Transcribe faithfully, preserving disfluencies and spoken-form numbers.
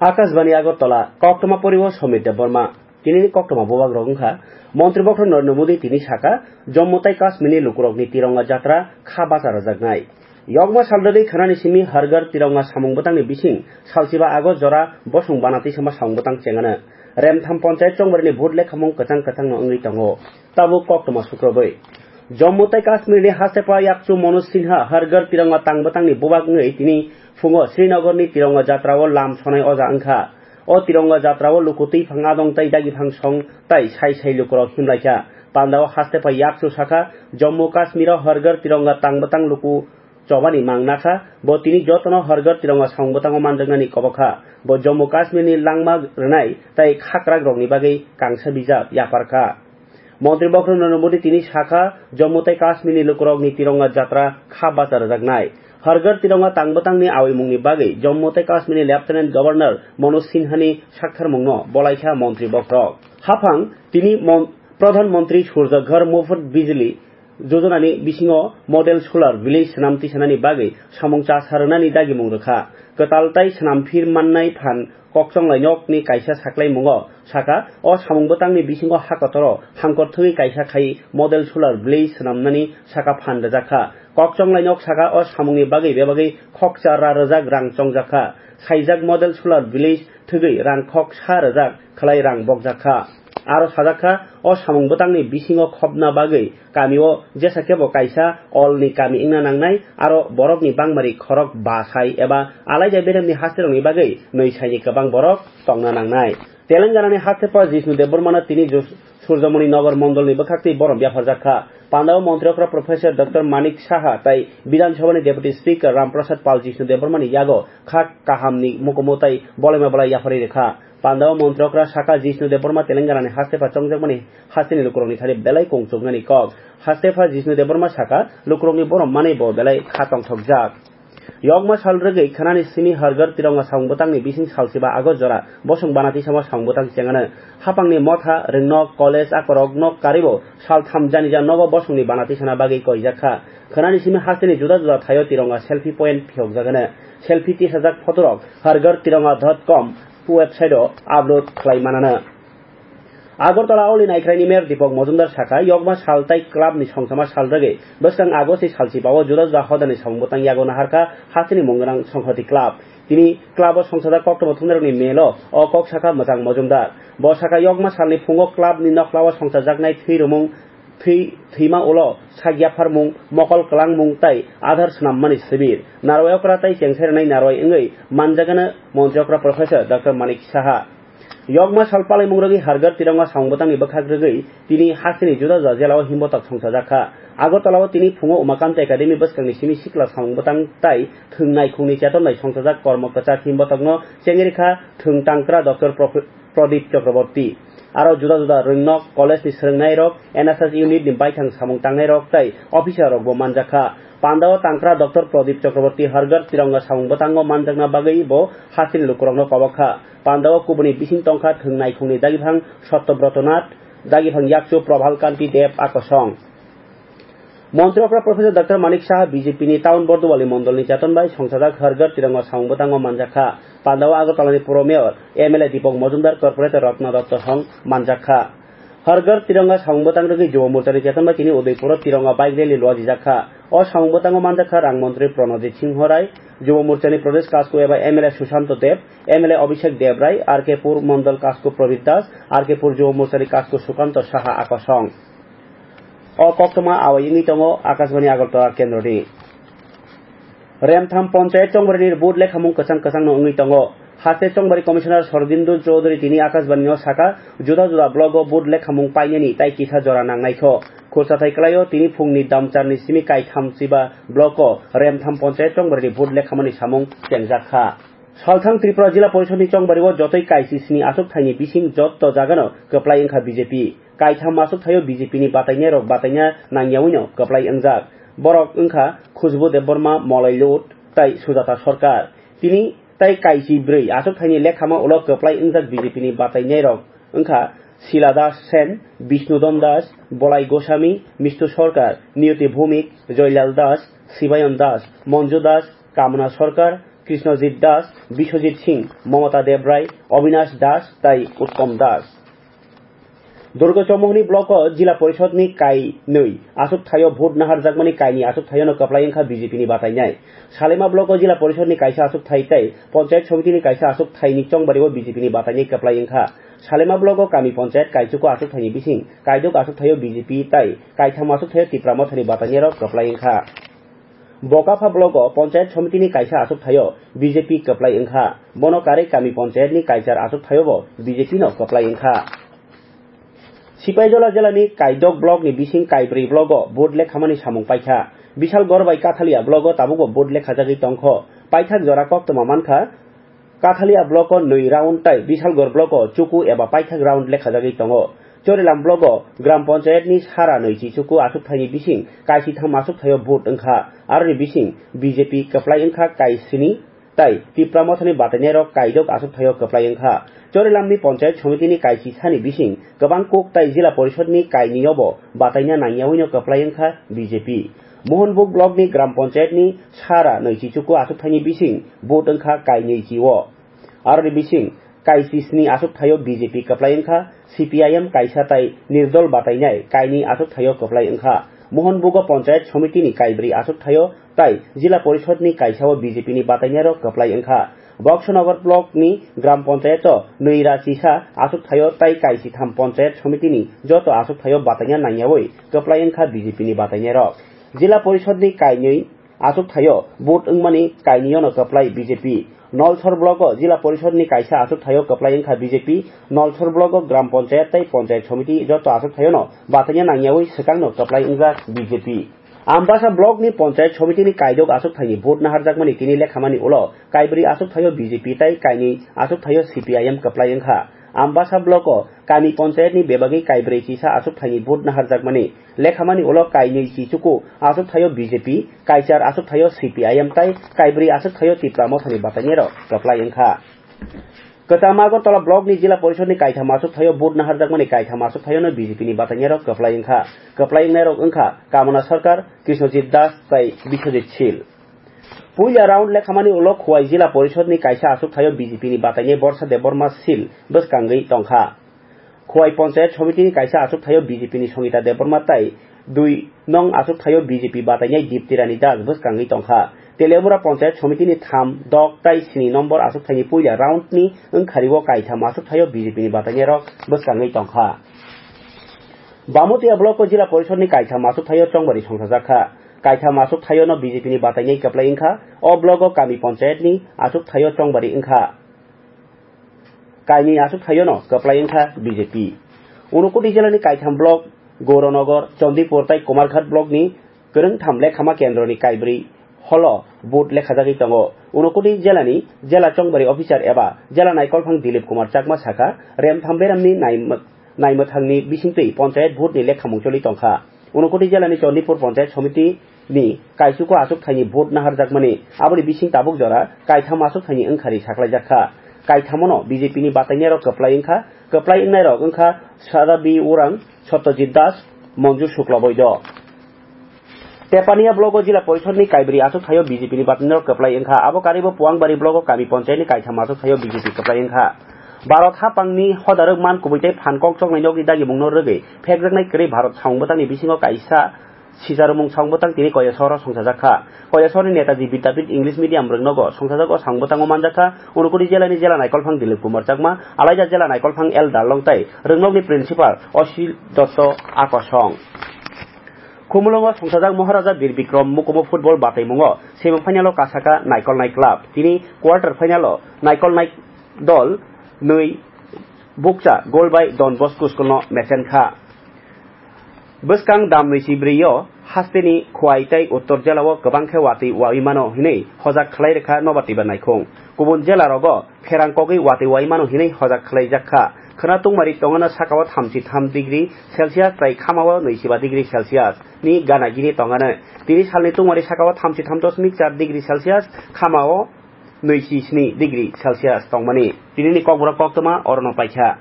Akashbani Agartala, koktwma poriwo Somit Debbarma. Tinini koktwma bubak rok wngkha, Montri Bokhorok Narendra Modi tini saka, Jammu tai Kashmirni lukurokni Tironga Jatra kha bacha rwjaknai. Yokma sal rwgwi khwnani simi Har Ghar Tironga samung bwtangni bising salchiba August jora bosong bana twisama samung bwtang chengano. Remtham ponchayat chongbarini vote lekhamung kwchang kwchangno wngwi tongo. Tabuk koktwma sukrobwi. Jammu tai Kashmirni haste pha yakchu Manoj Sinha Har Ghar Tironga tang bwtangni bubak wngwi tini phungo Srinagarni Tironga Jatrao lam sonai oja wngkha. O Tironga Jatrao luku twiphang adong tai dagiphang song tai sai sai lukurok himlaikha. Pandao haste pha yakchu sakha, Jammu Kashmiro Har Ghar Tironga tang bwtang luku chobani mang nakha, bo tini jotono Har Ghar Tironga samung bwtango manjaknani kobokha. Bo Jammu Kashmirni langma rwnai tai khakrak rokni bagwi kangsa bijap yaparkha. Montri Bokhorok Narendra Modi tini sakha, Jammu tai Kashmirni lukurokni Tironga Jatra kha bacha rwjaknai. Har Ghar Tironga tang bwtangni awimungni bagwi Jammu tai Kashmirni Lieutenant Governor Manoj Sinhani saktharmungno bolaikha Montri Bokhorok. Haphang tini Mon-, Pradhan Mantri Surya Ghar Muft Bijli Jojonani bisingo Model Solar Village swnam tisanani bagwi samung cha sa rwnani dagimung rwkha. Kwtal tai swnamphir mannai phan kokchonglai nokni kaisa saklaimungo sakha, o samung bwtangni bisingo ha kotoro hangkor thwgwi kaisa khai Model Solar Village swnamnani saka phan rwjakha. Kokchonglai nok saka o samungni bagwi bebagwi khokcha ra rwjak rang chongjakha. Saijak Model Solar Village thwgwi rang khok sa rwjak khlai rang bokjakha. Aro sajakha, o samung bwtangni bisingo khopna bagwi kamio jesa kebo kaisa olni kami wngna nangnai, aro borokni bangmari khorok ba sai eba alaida beremni hasterokni bagwi nwi saini kwbang borok tongna nangnai. Telenganani haste pha Jishnu Debbarmano tini Jus-, Surjamoni Nagar mondolni bwkhaktwi borom yapharjak kha. Pandao montri okra Professor Doctor Manik Saha tai Bidhan Sabhani Deputy Speaker Ram Prasad Pal Jishnu Debbarmani yago kha kahamni mukumu tai bolaima bolai yapharwi rwkha. Pandao montri okra saka Jishnu Debbarma Telenganani haste pha chongjakmani hasteni lukurokni thani belai kongchuknani kok. Haste pha Jishnu Debbarma saka lukurokni borom manwi bo belai kha tongthokjak. Yokma sal rwgwi khwnani simi Har Ghar Tironga samung bwtangni bising salchiba August jora bosong bana tisamo samung bwtang chengano. Hapangni motha, rwngnok, college, akorok nok karibo saltham janija nogo bosongni bana tisana bagwi koijak kha. Khwnani simi hasteni juda juda thaio Tironga selfie point phiyokjagano. Selfie tisajak photorok Har Ghar Tironga dot com website-o upload khlai manano. Agartala Oli Naikhraini Mayor Deepak Majumdar sakha, yokma sal tai club ni songchama sal rwgwi bwskang August ni salchi bao juda juda hodani samung bwtang yago naharkha hasteni mung gwnang Songhoti Club. Tini club o songchajak koktwma thumnairokni melo o kok sakha Mwchang Majumdar. Bo sakha, yokma salni phungo club ni nokla o songchajaknai thwi rwmung, thwi, thwima ulo sak yapharmung, mokol kwlangmung tai adhar swnammani sibir. Narwai okra tai chengsai rwnai narwai wngwi manjagano montri okra Professor Doctor Manik Saha. Yokma sal palaimung rwgwi Har Ghar Tironga samung bwtangni bwkhak rwgwi tini hasteni juda juda jela o himbotok songchajak kha. Agartala o tini phungo Umakant Academy bwskangni simi sikla samung bwtang tai thwng naikhungni cheton bai songchajak kormo kwchak himbotokno chengwi rwkha thwng tangkra Doctor Prof-, Pradip Chakraborty. Aro juda juda rwngnok college ni swrwngnairok, N S S unit ni baithang samung tangnairok tai officer rokbo manjakha. Pandao tangkra Doctor Pradip Chakraborty Har Ghar Tironga samung bwtango manjakna bagwi bo hasteni lukurokno kobok kha. Pandao kubuni bising tongkha thwng naikhungni dagiphang Satyabroto Nath, dagiphang yakchu Prabhal Kanti Deb akosong. Montri okra Professor Doctor Manik Saha B J P ni Town Bordowali mondolni cheton bai songchajak Har Ghar Tironga samung bwtango manjak kha. Pandao Agartalani Puro Mayor M L A Deepak Majumdar, Corporator Ratna Dutta song manjak kha. Har Ghar Tironga samung bwtang rwgwi Jubo Morchani cheton bai tini Udaipuro Tironga bike rally luajijak kha. O samung bwtango manjak kha Rang Montri Pranojit Singho Rai, Jubo Morchani Pradesh Kasku eba M L A Sushanto Deb, M L A Abhishek Deb Rai, R K Pur Mondol Kasku Probit Das, R K Pur Jubo Morchani Kasku Sukanto Saha akosong. O koktwma awai wngwi tongo Akashbani Agartala kendroni. Remtham Ponchayat Chongbarini vote lekhamung kwchang kwchangno wngwi tongo. Haste Chongbari Commissioner Sordindu Chowdhury tini Akashbani-o sakha, juda juda block-o vote lekhamung painani tai kisa jora nangnaikho. Khursathai kwlaio tini phungni damcharni simi kaitham chiba block-o Remtham Ponchayat Chongbarini vote lekhamani samung chengjak kha. Salthang Tripura Jila Porishodni chongbario jotoi kaisi sni aswk thaini bising jotto jagano kwplai wngkha B J P. Kaitham aswk thaio B J P ni batainairok bataina nangyawino kwplai wngjak. Borok wngkha Khushbu Debbarma, Molai Lut tai Sujata Sarkar. Tini tai kaisi bwrwi aswk thaini lekhama ulo kwplai wngjak B J P ni batainairok wngkha Sila Das Sen, Bishnu Don Das, Bolai Goswami, Mistu Sarkar, Niyoti Bhumik, Joylal Das, Sibayon Das, Monju Das, Kamona Sarkar, Krishnojit Das, Biswajit Singh, Mamata Debrai, Avinash Das tai Uttom Das. Durga Chaumohni block o Jila Porishod ni kai nwi aswk thaio vote naharjakmani kaini aswk thaio no kwplai wngkha B J P ni batainai. Salema block o Jila Porishod ni kaisa aswk thai tai Panchayat Somiti ni kaisa aswk thai ni chongbari o B J P ni batainai kwplai wngkha. Salema block o kami panchayat kaichuko aswk thai ni bising kaidok aswk thaio B J P tai kaitham aswk thaio Tipra Motha ni batainai rok kwplai wngkha. Bokapha block o Panchayat Somiti ni kaisa aswk thaio B J P kwplai wngkha. Bono karwi kami panchayat ni kaichar aswk thaio bo B J P no kwplai wngkha. Sipaijola jela ni kaidok block ni bising kaibrwi block o vote lekhamani samung paikha. Bishalgor bai Kathalia block o tabuk bo vote lekhajagwi tongkho. Paithak jora koktwma mankha. Kathalia block o nwi round tai Bishalgor block o chuku eba paithak round lekhajagwi tongo. Chorilam block o Gram Panchayat ni sara nwi chi chuku aswk thaini bising kaisitham aswk thaio vote wngkha. Aroni bising B J P kwplai wngkha kaisini tai Tipra Mothani batainai rok kaidok aswk thaio kwplai wngkha. Chorilam ni Panchayat Somiti ni kaisi sani bising kwbang kuk tai Jila Porishod ni kainwi o bo bataina nangyawi no kwplai wngkha B J P. Mohanbug block ni Gram Panchayat ni sara nwi chi chuku aswk thaini bising vote wngkha kainwi chi o. Aroni bising kaisi sni aswk thaio B J P kwplai wngkha, C P I M kaisa tai nirdol batainai kaini aswk thaio kwplai wngkha. Mohanbugo Panchayat Somiti ni kaibrwi aswk thaio tai Jila Porishod ni kaisa o B J P ni batainai rok kwplai wngkha. Boxonagar block ni Gram Panchayat o nwi ra chisa aswk thaio tai kaisi tham Panchayat Somiti ni joto aswk thaio bataina nangyawi kwplai wngkha B J P ni batainai rok. Jila Porishod ni kainwi aswk thaio vote wngmani kainwi no kwplai B J P. Nolsor block o Jila Porishod ni kaisa aswk thaio kwplai wngkha B J P. Nolsor block o Gram Panchayat tei Panchayat Somiti joto aswk thaio no bataina nangyawi swkang no kwplai wngjak B J P. Ambasa block ni Panchayat Somiti ni kaidok aswk thaini vote naharjakmani tini lekhamani ulo kaibrwi aswk thaio B J P tei kainwi aswk thaio C P I M kwplai wngkha. Ambasa block o kami Panchayat ni bebagwi kaibrwi chisa aswk thaini vote naharjakmani. Lekhamani ulo kainwi chi chuku aswk thaio B J P, kaichar aswk thaio C P I M tai kaibrwi aswk thaio Tipra Mothani batainai rok kwplai wngkha. Kwcham Agartala block ni Jila Porishod ni kaitham aswk thaio vote naharjakmani kaitham aswk thaio no B J P ni batainai rok kwplai wngkha. Kwplai wngnai rok wngkha Kamana Sarkar, Krishnojit Das tai Biswajit Sil. Puila round lekhamani ulo Khowai Jila Porishod ni kaisa aswk thaio B J P ni batainai Borsa Debbarma Sil bwskangwi tongkha. Khowai Panchayat Somiti ni kaisa aswk thaio B J P ni Songita Debbarma tai dui nong aswk thaio B J P batainai Dipti Rani Das bwskangwi tongkha. Teliamura Panchayat Somiti ni tham, dok tai sini nombor aswk thaini puila round ni wngkhario kaitham aswk thaio B J P ni batainai rok bwskangwi tongkha. Bamutia block o Jila Porishod ni kaitham aswk thaio chongbari songsajakha. Kaitham aswk thaio no B J P ni batainai kwplai wngkha. O block o kami panchayat ni aswk thaio chongbari wngkha. Kainwi aswk thaio no kwplai wngkha B J P. Unakoti jela ni kaitham block Gauranagar, Chandipur tai Kumarghat block ni kwrwngtham lekhama kendro ni kaibrwi holo vote lekhajagwi tongo. Unakoti jela ni jela chongbari officer eba jela naikolphang Dilip Kumar Chakma sakha, remtham beram ni naimwk-, naimwthang ni bisingtwi panchayat vote ni lekhamung choli tongkha. Unakoti jela ni Chandipur Panchayat Somiti ni kaichuko aswk thaini vote naharjakmani, aboni bising tabuk jora kaitham aswk thaini wngkhari saklaijakha. Kaithamono B J P ni batainai rok kwplai wngkha, kwplai wngnai rok wngkha Sada B Urang, Satyajit Das, Manju Shukla Boido. Tepania block o Jila Porishod ni kaibrwi aswk thaio B J P ni batainai rok kwplai wngkha, abo karibo Puangbari block o kami panchayat ni kaitham aswk thaio B J P kwplai wngkha. Bharat hapang ni hodarok man kubui tei phan kok choknai nok ni dagimung no rwgwi phekjaknai kwrwi Bharat samung bwtang ni bisingo kaisa Sijarwmung samung bwtang tini Koyasoro songchajak kha. Koyasor ni Netaji Vidyapith English Medium rwngnogo songchajak o samung bwtango manjak kha Unakoti jela ni jela naikolphang Dilip Kumar Chakma, alaida jela naikolphang L Darlong tai rwngnok ni principal Osil Dotto Akosong. Khumulwngo songchajak Maharaja Bir Bikram Mukumo football bataimungo semi final o kasaka naikolnai club. Tini quarter final o naikolnai dol nwi bukcha gol bai Don Bosco school no mechen kha. Bwskang dam nwi si brwi o hasteni Khowai tei Uttor jela o kwbang khe watwi wawi mano hinwi hojak khlai rwkha Nobar Tibar Naikhung. Kubun jela rogo pherang kogwi watwi wawi mano hinwi hojak khlaijak kha. Khwna tungmari tongano saka o thamchi tham degree Celsius tai khama o nwi si ba degree Celsius ni gana gini tongano. Tini salni tungmari saka o thamchi tham dosmik char degree Celsius, khama o nwi si sni degree Celsius tongmani. Tini ni kokborok koktwma orono paikha.